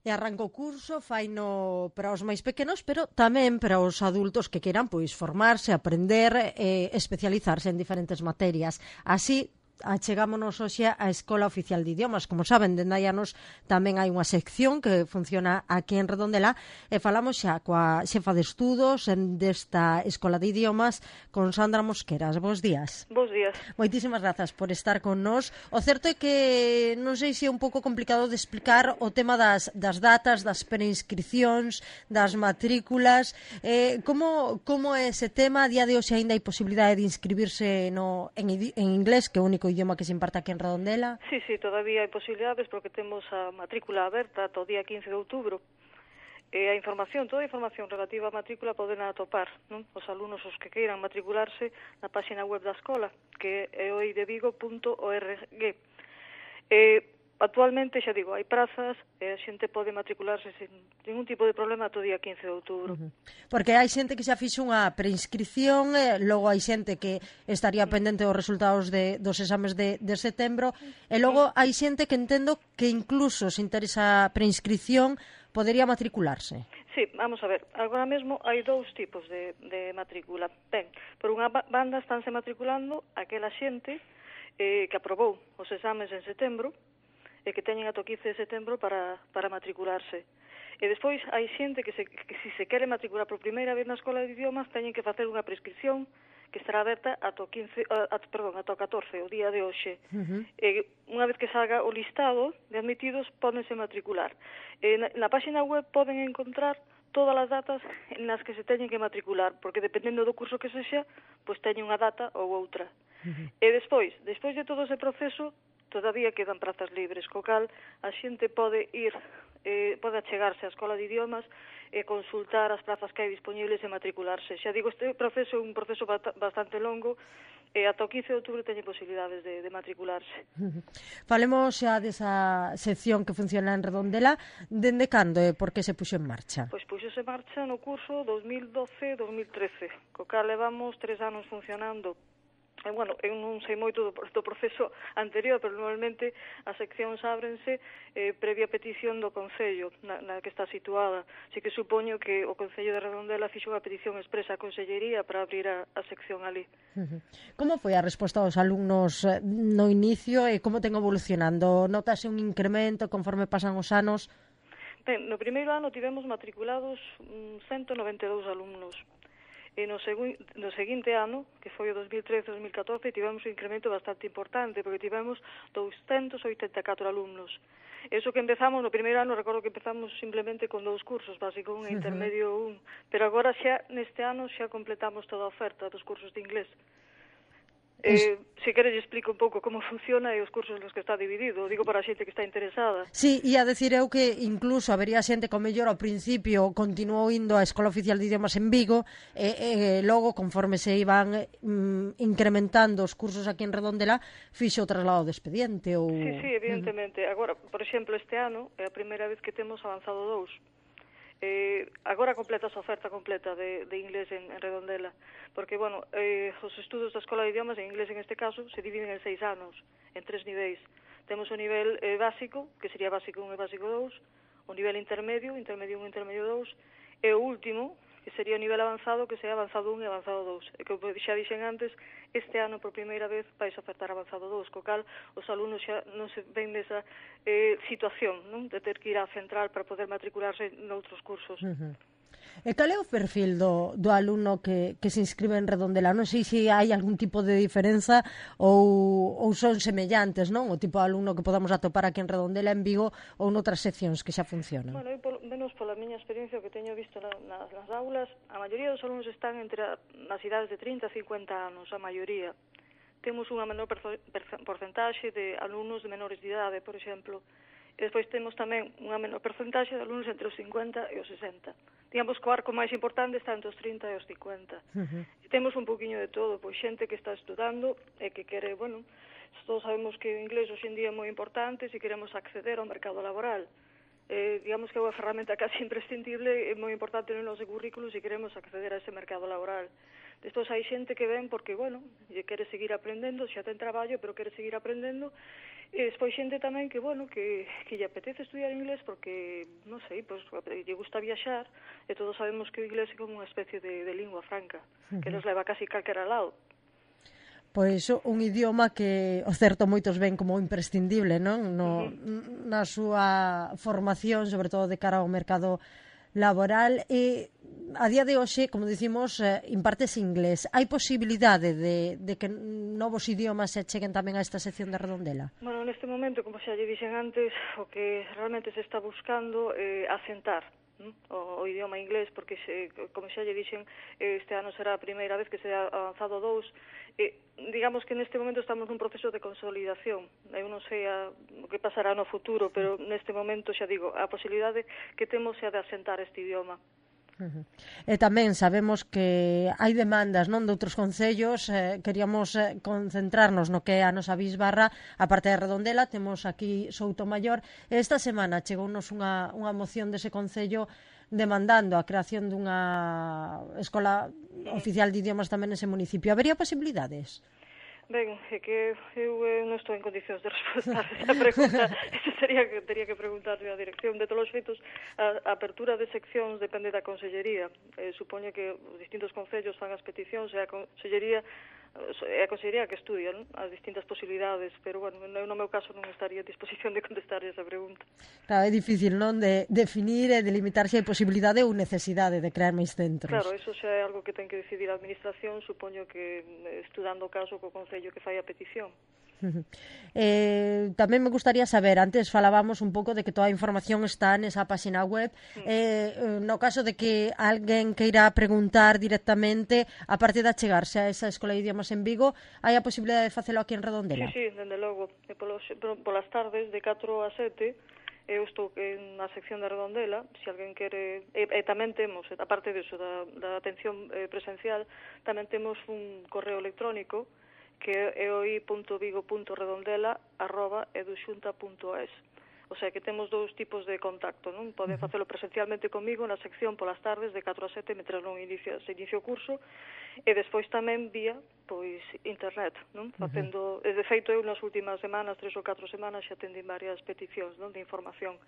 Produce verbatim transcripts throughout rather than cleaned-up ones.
E arranca o curso, faino para os máis pequenos, pero tamén para os adultos que queiran pois formarse, aprender e especializarse en diferentes materias. Así, achegámonos hoxe á Escola Oficial de Idiomas. Como saben, dende hai anos tamén hai unha sección que funciona aquí en Redondela e falamos xa coa xefa de estudos desta Escola de Idiomas, con Sandra Mosqueras. Bos días. Bos días. Moitísimas grazas por estar con nós. O certo é que non sei se é un pouco complicado de explicar o tema das, das datas, das preinscripcións, das matrículas. Eh, como, como é ese tema? A día de hoxe ainda hai posibilidade de inscribirse no, en, en inglés, que é o único idioma que se imparte aquí en Redondela? Sí, sí, todavía hai posibilidades porque temos a matrícula aberta ata o día quince de outubro. E a información, toda a información relativa á matrícula poden atopar, non? Os alumnos os que queiran matricularse na página web da escola, que é oidevigo punto org. E actualmente, xa digo, hai prazas e a xente pode matricularse sin ningún tipo de problema ata o día quince de outubro. Uh-huh. Porque hai xente que xa fixo unha preinscripción, eh, logo hai xente que estaría pendente dos resultados de, dos exames de, de setembro, e logo hai xente que entendo que incluso se interesa a preinscripción podería matricularse. Sí, vamos a ver, agora mesmo hai dous tipos de, de matrícula. Ben, por unha banda estánse matriculando aquela xente eh, que aprobou os exames en setembro e que teñen ata o quince de setembro para, para matricularse. E despois hai xente que, se, que se se quere matricular por primeira vez na Escola de Idiomas teñen que facer unha prescripción que estará aberta ata o quince, uh, at, perdón, ata o catorce, o día de hoxe. Uh-huh. E unha vez que salga o listado de admitidos, pódense matricular. E na, na página web poden encontrar todas as datas nas que se teñen que matricular, porque dependendo do curso que sexa, pois teñen unha data ou outra. Uh-huh. E despois, despois de todo ese proceso, todavía quedan prazas libres, co cal a xente pode ir, eh, pode achegarse á Escola de Idiomas e consultar as prazas que hai disponibles e matricularse. Xa digo, este proceso é un proceso bastante longo e ata o quince de outubro teñen posibilidades de, de matricularse. Uh-huh. Falemos xa desa sección que funciona en Redondela. Dende cando e por que se puxo en marcha? Pois puxose en marcha no curso dos mil doce dos mil trece, co cal levamos tres anos funcionando. E, bueno, eu non sei moito do, do proceso anterior, pero normalmente as seccións ábrense eh, previa petición do Concello na, na que está situada. Así que supoño que o Concello de Redondela fixo unha petición expresa á Consellería para abrir a, a sección ali. Uh-huh. Como foi a resposta dos alumnos no inicio e como ten evolucionando? Notase un incremento conforme pasan os anos? Ben, no primeiro ano tivemos matriculados ciento noventa e dous alumnos. E no, segu no seguinte ano, que foi o dos mil trece dos mil catorce, tivemos un incremento bastante importante, porque tivemos douscentos oitenta e catro alumnos. Eso que empezamos, no primeiro ano, recordo que empezamos simplemente con dous cursos, básico un e intermedio un, pero agora xa, neste ano, xa completamos toda a oferta dos cursos de inglés. Eh, se queres explico un pouco como funciona e os cursos nos que está dividido, digo para a xente que está interesada. Sí, e a decir eu que incluso habería xente que mellor ao principio continuou indo á Escola Oficial de Idiomas en Vigo e, e logo, conforme se iban mm, incrementando os cursos aquí en Redondela, fixo o traslado de expediente ou... Sí, sí, evidentemente. Uh-huh. Agora, por exemplo, este ano é a primeira vez que temos avanzado dous. Eh, agora completa a oferta completa de, de inglés en, en Redondela, porque, bueno, eh, os estudos da Escola de Idiomas, en inglés en este caso, se dividen en seis anos, en tres niveis. Temos o nivel eh, básico, que sería básico un e básico dous, o nivel intermedio, intermedio un e intermedio dous, e o último, que sería o nivel avanzado, que sería avanzado un e avanzado dous. E como xa dixen antes, este ano por primeira vez vais ofertar avanzado dous, co cal os alumnos xa non se ven nesa eh, situación, non, de ter que ir á central para poder matricularse noutros cursos. Uh-huh. E cal é o perfil do, do alumno que, que se inscribe en Redondela? Non sei se hai algún tipo de diferenza ou, ou son semellantes, non? O tipo de alumno que podamos atopar aquí en Redondela, en Vigo, ou noutras seccións que xa funcionan. Bueno, eu, polo menos pola miña experiencia que teño visto na, nas, nas aulas, a maioría dos alumnos están entre a, nas idades de trinta a cincuenta anos, a maioría. Temos unha menor porcentaxe de alumnos de menores de idade, por exemplo. E despois temos tamén unha menor porcentaxe de alumnos entre os cincuenta e os sesenta. Digamos que o arco máis importante está entre os trinta e os cincuenta. Uh-huh. E temos un poquinho de todo, pois xente que está estudando e que quere, bueno, todos sabemos que o inglés hoxe en día é moi importante se queremos acceder ao mercado laboral. Eh, digamos que é unha ferramenta casi imprescindible e moi importante no noso currículo se queremos acceder a ese mercado laboral. Despois hai xente que ven porque, bueno, lle quere seguir aprendendo, xa ten traballo, pero quere seguir aprendendo E despois xente tamén que, bueno, que, que lle apetece estudiar inglés porque, non sei, pois, lle gusta viaxar, e todos sabemos que o inglés é como unha especie de, de lingua franca, uh-huh. que nos leva casi calquera lado. Pois un idioma que o certo moitos ven como imprescindible, non? No, uh-huh. Na súa formación, sobre todo de cara ao mercado laboral, e a día de hoxe, como dicimos, eh, impartes inglés. Hai posibilidade de, de que novos idiomas se cheguen tamén a esta sección de Redondela? Bueno, neste momento, como xa lle dixen antes, o que realmente se está buscando é eh, asentar ¿no? o, o idioma inglés, porque, se, como xa lle dixen, este ano será a primeira vez que se ha avanzado dous. Eh, digamos que neste momento estamos nun proceso de consolidación. Eu non sei a, o que pasará no futuro, pero neste momento, xa digo, a posibilidade que temos é de asentar este idioma. Uh-huh. E tamén sabemos que hai demandas non de outros concellos, eh, queríamos eh, concentrarnos no que é a nosa bisbarra, a parte de Redondela, temos aquí Soutomaior, e esta semana chegounos unha, unha moción dese concello demandando a creación dunha escola oficial de idiomas tamén nese municipio. Habería posibilidades? Ben, é que eu eh, non estou en condicións de responder esa pregunta. Eso sería que teria que preguntarle á dirección. De todos os feitos, a, a apertura de seccións depende da Consellería. Eh, supoño que os distintos concellos fan as peticións e a Consellería é a Consellería que estudia ¿no? as distintas posibilidades, pero, bueno, eu no meu caso non estaría a disposición de contestar esa pregunta. Claro, é difícil, non, de definir e delimitar se hai posibilidade ou necesidade de crear máis centros. Claro, eso xa é algo que ten que decidir a Administración, supoño que estudando o caso co Concello que fai a petición. Eh, tamén me gustaría saber, antes falábamos un pouco de que toda a información está nesa página web, mm. eh, no caso de que alguén queira preguntar directamente, a parte de achegarse a esa Escola de Idiomas en Vigo, hai a posibilidade de facelo aquí en Redondela? Sí, sí, dende logo, e polos, polas tardes de catro a sete eu estou na sección da Redondela, se alguén quere, e, e tamén temos, aparte disso, da, da atención presencial, tamén temos un correo electrónico que é oi punto vigo punto redondela arroba eduxunta punto es. O sea, que temos dous tipos de contacto, non? Poden facelo presencialmente comigo na sección polas tardes de catro a sete, mentre non inicia, se inicia o curso, e despois tamén vía, pois, internet, non? Facendo, uh-huh. de feito, eu nas últimas semanas, tres ou catro semanas, xa atendín varias peticións, non? De información.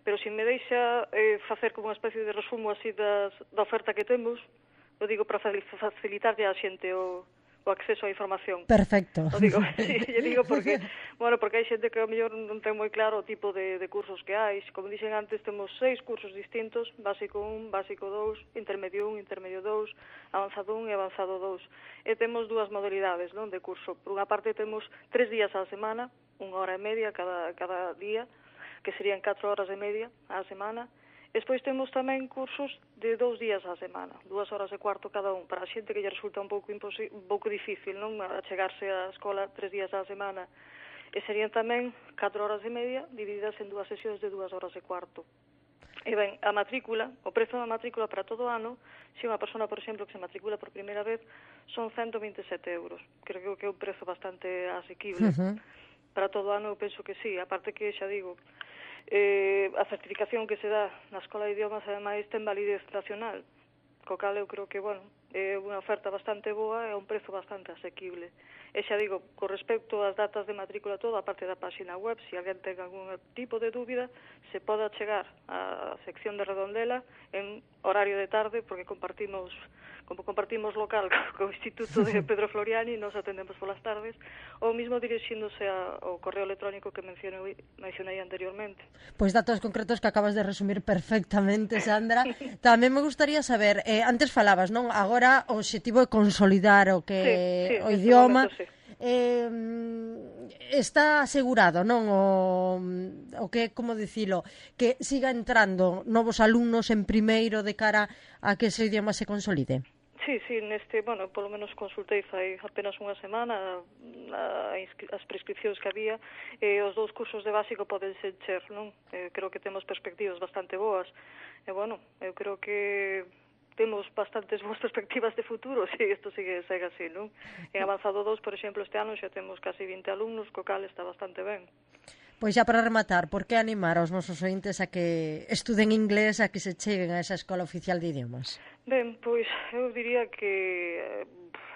Pero se me deixa eh, facer como unha especie de resumo así das, da oferta que temos, eu digo para facilitarlle a xente o o acceso á información. Perfecto. O digo, sí, eu digo porque, bueno, porque hai xente que ao mellor non ten moi claro o tipo de, de cursos que hai. Como dixen antes, temos seis cursos distintos, básico un, básico dous, intermedio un, intermedio dous, avanzado un e avanzado dous. E temos dúas modalidades, non, de curso. Por unha parte temos tres días á semana, unha hora e media cada, cada día, que serían catro horas e media á semana. Despois temos tamén cursos de dous días á semana, dúas horas e cuarto cada un, para a xente que lle resulta un pouco imposi- un pouco difícil, non, achegarse á escola tres días á semana. E serían tamén catro horas e media divididas en dúas sesións de dúas horas e cuarto. E ben, a matrícula, o prezo da matrícula para todo o ano, se unha persona, por exemplo, que se matricula por primeira vez, son ciento veintesete euros. Creo que é un prezo bastante asequible. Uh-huh. Para todo o ano eu penso que sí, aparte que, xa digo, Eh, a certificación que se dá na Escola de Idiomas ademais ten validez nacional, co cal eu creo que, bueno, é unha oferta bastante boa e un prezo bastante asequible. E xa digo, con respecto ás datas de matrícula todo, a parte da página web, se alguén ten algún tipo de dúbida, se pode chegar á sección de Redondela en horario de tarde, porque compartimos como compartimos local co Instituto de Pedro Floriani, nos atendemos polas tardes, ou mesmo dirixíndose ao correo electrónico que mencionei, mencionei anteriormente. Pois datos concretos que acabas de resumir perfectamente, Sandra. Tamén me gustaría saber, eh, antes falabas, non? Agora o obxectivo é consolidar o que sí, sí, o idioma. Momento, sí. Eh, está asegurado, non? O, o que, como dicilo, que siga entrando novos alumnos en primeiro de cara a que ese idioma se consolide. Sí, sí, neste, bueno, polo menos consultei fai apenas unha semana a, as prescripcións que había, e os dous cursos de básico poden ser encher, non? Eh, creo que temos perspectivas bastante boas, e, bueno, eu creo que temos bastantes boas perspectivas de futuro se isto sigue, segue así, non? En avanzado dous, por exemplo, este ano xa temos casi vinte alumnos, co cal está bastante ben. Pois xa para rematar, por que animar aos nosos ointes a que estuden inglés, a que se cheguen a esa Escola Oficial de Idiomas? Ben, pois eu diría que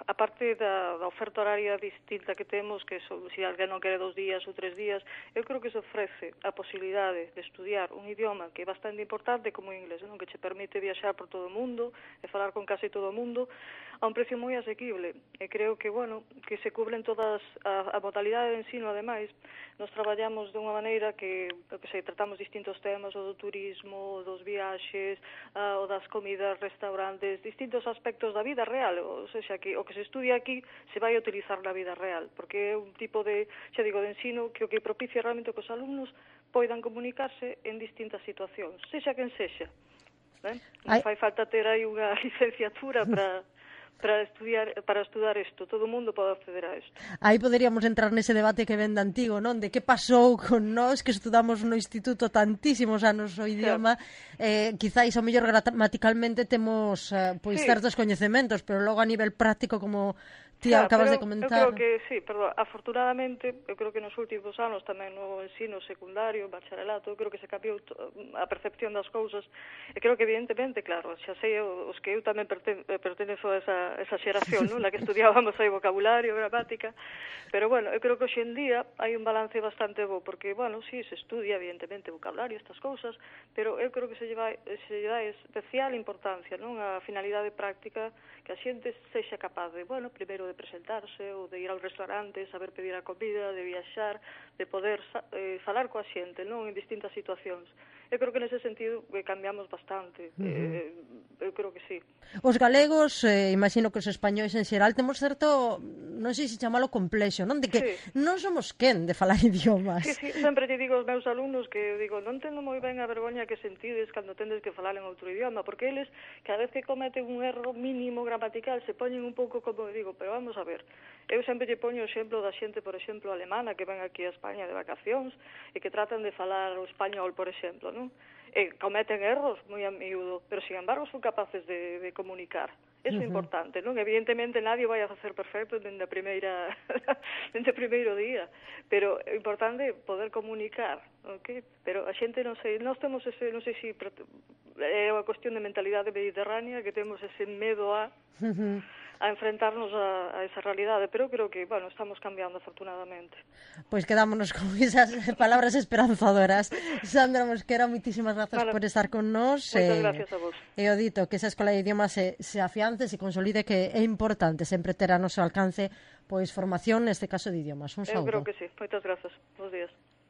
a parte da, da oferta horaria distinta que temos, que so, se alguén non quere dos días ou tres días, eu creo que se ofrece a posibilidade de estudiar un idioma que é bastante importante como o inglés, non? Que che permite viaxar por todo o mundo e falar con casi todo o mundo a un precio moi asequible. E creo que, bueno, que se cubren todas a, a modalidade de ensino, ademais, nos traballamos de unha maneira que, que sei, tratamos distintos temas, o do turismo, o dos viaxes, a, o das comidas, restaurantes, distintos aspectos da vida real, ou seja, que o que se estudia aquí se vai a utilizar na vida real, porque é un tipo de, xa digo, de ensino que o que propicia realmente que os alumnos poidan comunicarse en distintas situacións, sexa quen sexa. Ben? Non fai falta ter aí unha licenciatura para para estudiar para estudar isto, todo o mundo pode acceder a isto. Aí poderíamos entrar nese debate que ven de antigo, non? De que pasou con nós que estudamos no instituto tantísimos anos o idioma, claro. eh, quizáis ao mellor gramaticalmente temos eh, pois sí. certos coñecementos, pero logo a nivel práctico, como ti claro, acabas de comentar. Eu creo que, sí, perdón, afortunadamente, eu creo que nos últimos anos tamén no ensino secundario, bacharelato, eu creo que se cambiou a percepción das cousas, e creo que evidentemente, claro, xa sei os que eu tamén perten pertenezo a esa, esa xeración, non? Na que estudiábamos aí vocabulario, gramática, pero bueno, eu creo que hoxe en día hai un balance bastante bo, porque, bueno, sí, se estudia evidentemente vocabulario, estas cousas, pero eu creo que se lleva, se lleva especial importancia, non? A finalidade práctica, que a xente sexa capaz de, bueno, primeiro de presentarse ou de ir ao restaurante, saber pedir a comida, de viaxar, de poder eh, falar coa xente, non, en distintas situacións. Eu creo que nese sentido eh, cambiamos bastante. Uh -huh. eh, eu creo que sí. Os galegos, eh, imagino que os españois en xeral, temos certo, non sei se chamalo complexo, non? De que sí. non somos quen de falar idiomas. Sí, sí, sempre te digo aos meus alumnos que, digo, non entendo moi ben a vergoña que sentides cando tendes que falar en outro idioma, porque eles, cada vez que cometen un erro mínimo gramatical, se poñen un pouco como, digo, pero vamos a ver, eu sempre lle poño o exemplo da xente, por exemplo, alemana, que ven aquí a España de vacacións, e que tratan de falar o español, por exemplo, non? E cometen erros moi a miúdo, pero, sin embargo, son capaces de, de comunicar. Eso é uh -huh. importante, non? Evidentemente, nadie vai a facer perfecto dende a primeira dende o primeiro día, pero é importante poder comunicar, ok? Pero a xente, non sei, nós temos ese, non sei se é unha cuestión de mentalidade mediterránea, que temos ese medo a... Uh -huh. a enfrentarnos a, a esa realidade, pero creo que, bueno, estamos cambiando afortunadamente. Pois pues quedámonos con esas palabras esperanzadoras. Sandra Mosquera, moitísimas grazas vale. por estar con nós. Moitas eh, gracias a vos. E o dito, que esa escola de idiomas se, se afiance, se consolide, que é importante sempre ter a noso alcance pois formación, neste caso de idiomas. Un saúdo. Eu creo que sí. Moitas grazas. Bos días.